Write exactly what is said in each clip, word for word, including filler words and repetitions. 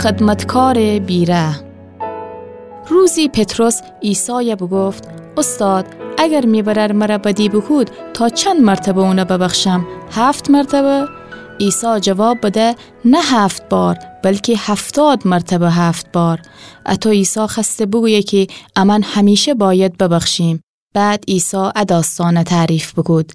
خدمتکارٚ بی‌رحم. روزی پطرس عیسایَ بوگفت: اوستاد، اگر می برأر مرَ بدی بوکود، تا چند مرتبه اونَ ببخشم؟ هفت مرتبه؟ عیسی جواب بده: نه هفت بار، بلکی هفتاد مرتبه هفت بار. اطو عیسی خوأسته بوگویه کی امأن همیشه بأید ببخشیم. بعد عیسی ا داستانَ تعریف بوکود: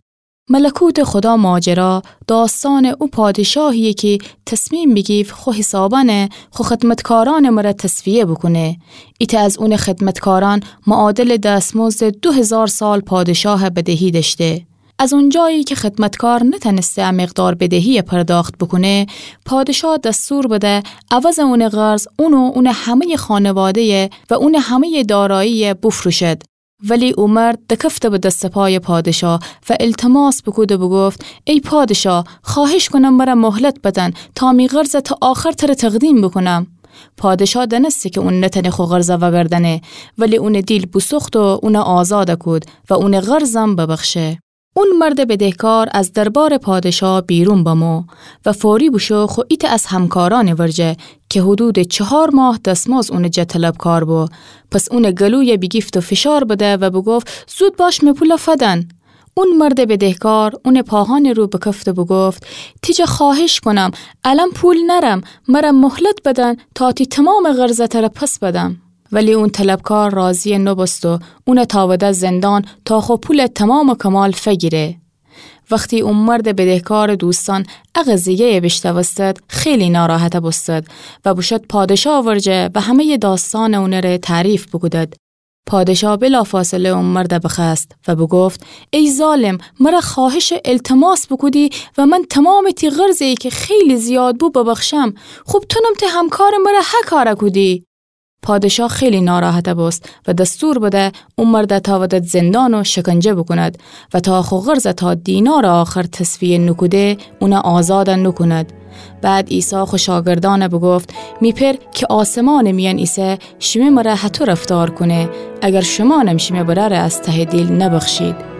ملکوتٚ خدا ماجرا داستانٚ او پادشاهییه کی تصمیم بیگیفت خو حسابأنَ خو خدمتکارأنٚ مرأ تصفیه بوکونه. ایتأ از اونٚ خدمتکارأن معادلٚ دستمزدٚ دو هیزار سال پادشاهَ بدهی دأشته. از اونجایی کی خدمتکار نتأنسته ا مقدار بدهییَ پرداخت بوکونه، پادشاه دستور بده عوضٚ اونٚ قرض اون و اونٚ همه‌یٚ خانواده‌یَ و اونٚ همه‌یٚ داراییَ بوفروشد. ولی او مرد دکفته به دس و پایٚ پادشاه و التماس بوکود و بوگفت: ای پادشاه، خوأهش کونم مرَ مهلت بدن تا می قرضَ تا آخر تره تقدیم بوکونم. پادشاه دأنسته کی اون نتأنه خو قرضَ وأگردأنه، ولی اونٚ دیل بوسوخت و اونَ آزادَ کود و اونٚ قرضم ببخشه. اون مردٚ بدهکار از دربارٚ پادشاه بیرون بمو و فوری بوشو خو ایتأ از همکارأنٚ ورجه کی حدودٚ چهار ماه دسمزد اونٚ جا طلبکار بو. پس اونٚ گلویَ بیگیفت و فشار بده و بوگفت: زود باش می پولَ فدن. اون مردٚ بدهکار اونٚ پاهأنٚ رو بکفت و بوگفت: تی جا خوأهش کونم، الأن پول نأرم، مرَ مهلت بدن تا تی تومامٚ قرضَ تره پس بدم. ولی اون طلبکار راضی نوبوست و اونَ تأوده زندان تا خو پولَ تومام و کمال فگیره. وختی او مردٚ بدهکارٚ دوستأن ا قضیه‌یَ بیشنوستد، خیلی ناراحت بوستد و بوشد پادشاه ورجه و همه‌یٚ داستانٚ اونٚ ره تعریف بوکودد. پادشاه بلافاصله او مردَ بخوأست و بوگفت: ای ظالم، مرَ خوأهشٚ التماس بوکودی و من تومامٚ تی قرضه‌یی کی خیلی زیاد بو ببخشم. خوب تونم تی همکارٚ مرَ هه کارَ کودی. پادشاه خیلی ناراحت بوست و دستور بده او مردَ تأودد زندان و شکنجه بوکوند و تا خو قرضَ تا دینارٚ آخر تصفیه نوکوده، اونَ آزادَ نوکوند. بعد عیسی خو شاگردأنَ بوگفت: می پئر کی آسمانٚ میأن ایسه، شیمه مرَ هطو رفتار کونه، اگر شمأنم شیمه برأرَ از تهٚ دیل نبخشید.